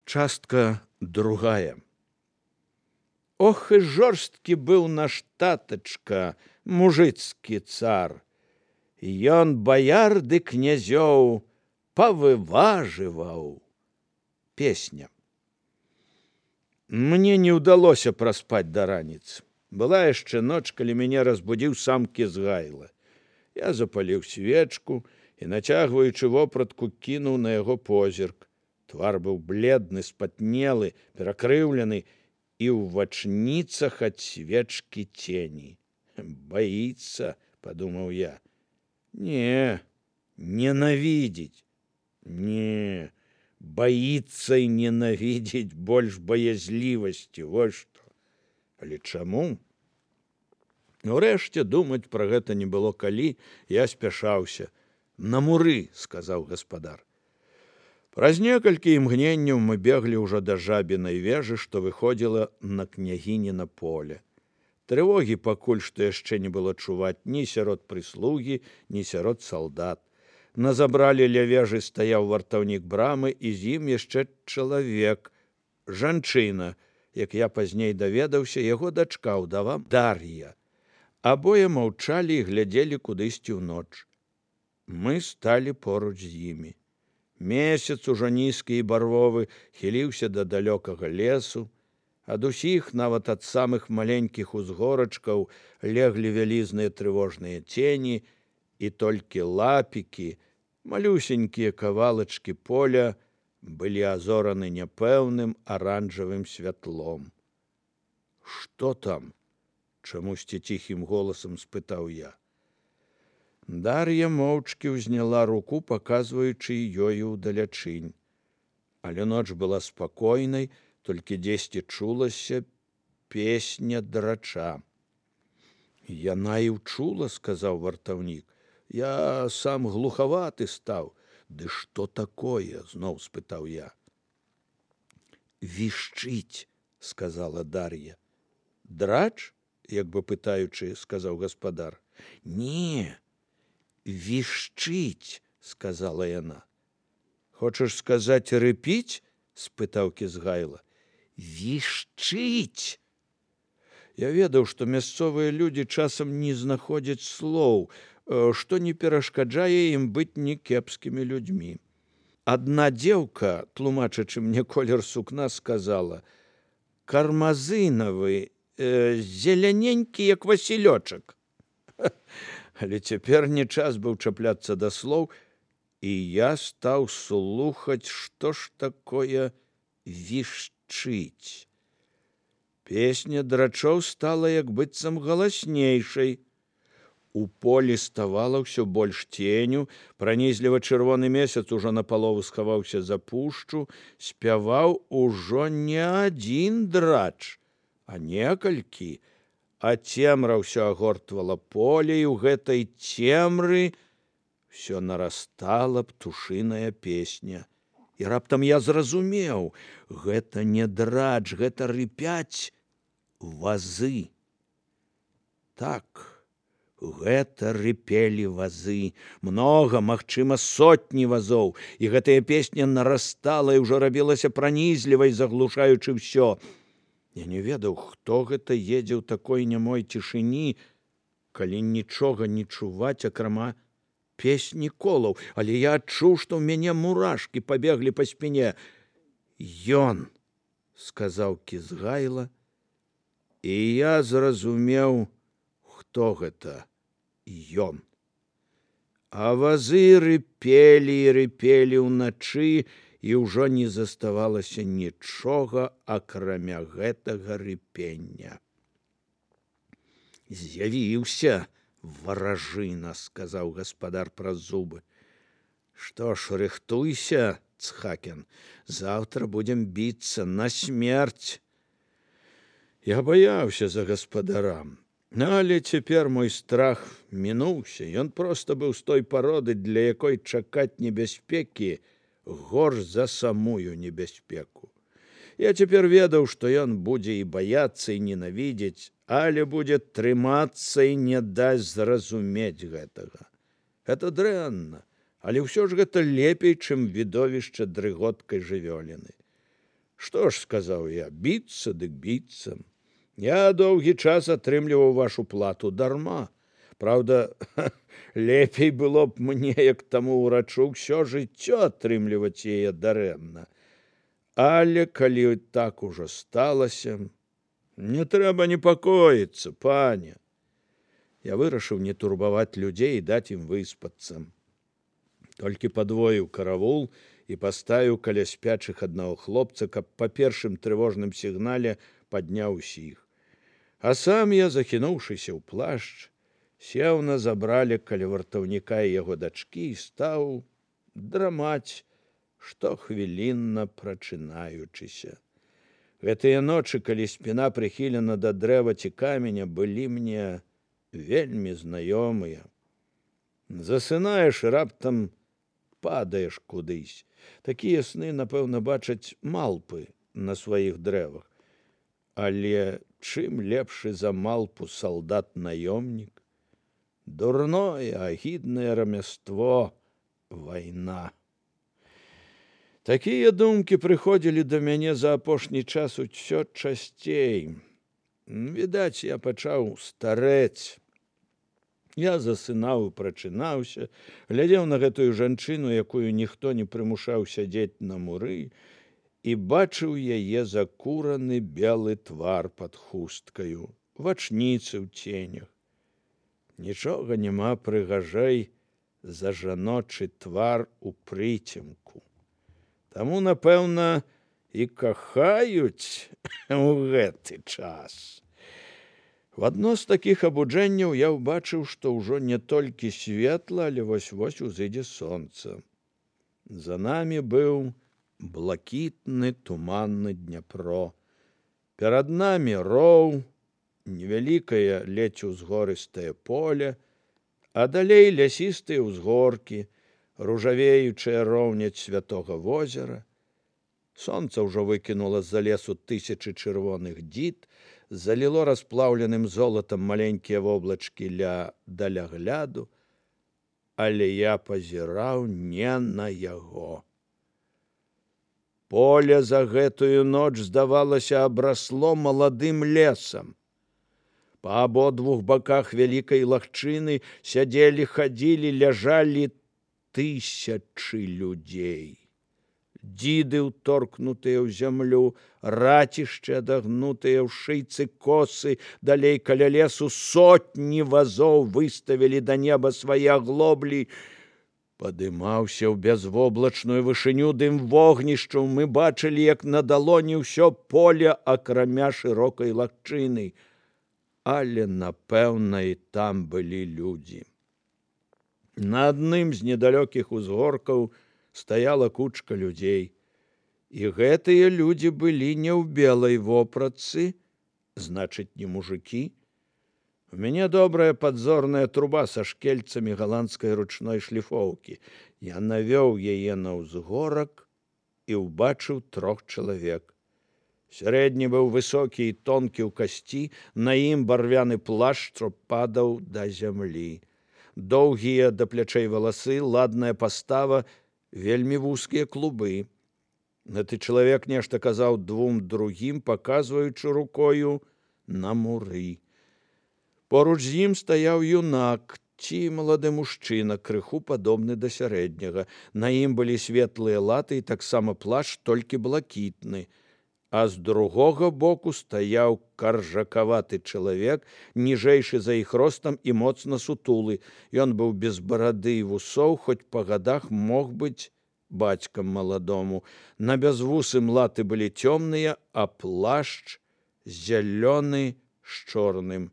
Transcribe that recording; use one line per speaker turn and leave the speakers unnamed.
Частка другая. Ох, і жорсткі быў наш татачка, мужыцкі цар. Ён баяр ды князёў павыважываў. Песня. Мне не ўдалося праспаць да раніцы. Была яшчэ ноч, калі мяне разбудзіў сам Кізгайла. Я запаліў свечку і, нацягваючы вопратку, кінуў на яго позірк. Твар быў бледны, спатнелы, перакрыўлены, і ў вачніцах ад свечкі цені. Баіцца, падумаў я. Не, ненавідзіць. Не, баіцца і ненавідзіць больш баязлівасці, вось што. Але чаму? Урэшце думаць пра гэта не было калі, я спяшаўся. На муры, сказаў гаспадар. Праз некалькі імгненняў мы беглі ўжо да жабінай вежы, што выходзіла на княгініна поле. Трывогі пакуль што яшчэ не было чуваць ні сярод прыслугі, ні сярод салдат. На забрале ля вежы стаяў вартаўнік брамы, і з ім яшчэ чалавек, жанчына, як я пазней даведаўся, яго дачка, ўдава Дар'я. Абое маўчалі і глядзелі кудысьці ўноч. Мы сталі поруч з імі. Месяц ужо нізкі і барвовы хіліўся да далёкага лесу. Ад усіх, нават ад самых маленькіх узгорачкаў, леглі вялізныя трывожныя цені, і толькі лапікі, малюсенькія кавалачкі поля, былі азораны няпэўным аранжавым святлом. Што там? Чамусьці ціхім голасам спытаў я. Дар'я моўчкі ўзняла руку, паказваючы ёю ўдалячынь. Але ноч была спакойнай, толькі дзесьці чулася песня драча. Яна і ўчула, сказаў вартаўнік. Я сам глухаваты стаў. Ды што такое? Зноў спытаў я. Вішчыць, сказала Дар'я. Драч? Як бы пытаючы, сказаў гаспадар. Не, вішчыць, сказала яна. Хочаш сказаць рыпіць? Спытаў Кізгайла. Вішчыць. Я ведаў, што мясцовыя людзі часам не знаходзяць слоў, што не перашкаджае ім быць некепскімі людзьмі. Адна дзеўка, тлумачачы мне колер сукна, сказала: кармазынавы, зеляненькі, як васілёчак. Але цяпер не час быў чапляцца да слоў, і я стаў слухаць, што ж такое вішчыць. Песня драчоў стала як быццам галаснейшай. У полі ставала ўсё больш ценю, пранізліва чырвоны месяц ужо напалову схаваўся за пушчу, спяваў ужо не адзін драч, а некалькі, а цемра ўсё агортвала поле, і ў гэтай цемры ўсё нарастала птушыная песня. І раптам я зразумеў, гэта не драч, гэта рыпяць вазы. Так, гэта рыпелі вазы, многа, магчыма, сотні вазоў, і гэтая песня нарастала і ўжо рабілася пранізлівай, заглушаючы ўсё. Я не ведаў, хто гэта едзе ў такой нямой цішыні, калі нічога не чуваць, акрамя песні колаў, але я адчуў, што ў мяне мурашкі пабеглі па спіне. Ён, сказаў Кізгайла, і я зразумеў, хто гэта ён. А вазы рыпелі і рыпелі ўначы, і ўжо не заставалася нічога, акрамя гэтага рыпення. З'явіўся варажына, сказаў гаспадар праз зубы. Што ж, рыхтуйся, Цхакен, заўтра будзем біцца на смерць. Я баяўся за гаспадарам, але цяпер мой страх мінуўся. Ён проста быў з той пароды, для якой чакаць небяспекі горш за самую небяспеку. Я цяпер ведаў, што ён будзе і баяцца, і ненавідзець, але будзе трымацца і не дасць зразумець гэтага. Гэта дрэнна, але ўсё ж гэта лепей, чым відовішча дрыготкай жывёліны. Што ж, сказаў я, біцца дык біцца. Я доўгі час атрымліваў вашу плату дарма. Праўда, лепей было б мне, як таму ўрачу, ўсё жыццё атрымліваць яе дарэмна. Але калі так ужо сталася, не трэба непакоіцца, пане. Я вырашыў не турбаваць людзей і даць ім выспацца. Толькі падвоіў каравул і паставіў каля спячых аднаго хлопца, каб па першым трывожным сігнале падняў усіх. А сам я, захінуўшыся ў плашч, сеў на забрале каля вартаўніка і яго дачкі і стаў драмаць, штохвілінна прачынаючыся. Гэтыя ночы, калі спіна прыхілена да дрэва ці каменя, былі мне вельмі знаёмыя. Засынаеш і раптам падаеш кудысь. Такія сны, напэўна, бачаць малпы на сваіх дрэвах. Але чым лепшы за малпу салдат-наёмнік? Дурное, агіднае рамяство — вайна. Такія думкі прыходзілі да мяне за апошні час усё часцей. Відаць, я пачаў старэць. Я засынаў і прачынаўся, глядзеў на гэтую жанчыну, якую ніхто не прымушаў сядзець на муры, і бачыў яе закураны белы твар пад хусткаю, вачніцы ў ценях. Нічога няма прыгажэй за жаночы твар у прыцемку. Таму, напэўна, і кахаюць у гэты час. В адно з такіх абуджэнняў я ўбачыў, што ўжо не толькі светла, але вось-вось узыдзе сонца. За намі быў блакітны туманны Дняпро. Перад намі роў, невялікае ледзь узгорыстае поле, а далей лясістыя ўзгоркі, ружавеючая роўняць святога возера. Сонца ўжо выкінула з-за лесу тысячы чырвоных дзід, заліло расплаўленым золатам маленькія воблачкі ля далягляду, але я пазіраў не на яго. Поле за гэтую ноч, здавалася, абрасло маладым лесам. Па абодвух баках вялікай лагчыны сядзелі, хадзілі, ляжалі тысячы людзей. Дзіды, уторкнутыя ў зямлю, рацішчы, адагнутыя ў шыйцы косы, далей каля лесу сотні вазоў выставілі да неба свае аглоблі. Падымаўся ў бязвоблачную вышыню дым вогнішчаў. Мы бачылі, як на далоні ўсё поле, акрамя шырокай лагчыны. Але, напэўна, і там былі людзі. На адным з недалёкіх узгоркаў стаяла кучка людзей. І гэтыя людзі былі не ў белай вопратцы, значыць, не мужыкі. У мяне добрая падзорная труба са шкельцамі галандскай ручной шліфоўкі. Я навёў яе на ўзгорак і ўбачыў 3 чалавек. Сярэдні быў высокі і тонкі ў касці, на ім барвяны плашч, што падаў да зямлі. Доўгія да плячэй валасы, ладная пастава, вельмі вузкія клубы. Гэты чалавек нешта казаў 2 другім, паказваючы рукою на муры. Поруч з ім стаяў юнак ці малады мужчына, крыху падобны да сярэдняга. На ім былі светлыя латы і таксама плашч, толькі блакітны. А з другога боку стаяў каржакаваты чалавек, ніжэйшы за іх ростам і моцна сутулы. Ён быў без барады і вусоў, хоць па гадах мог быць бацькам маладому. На бязвусым латы былі цёмныя, а плашч зялёны з чорным.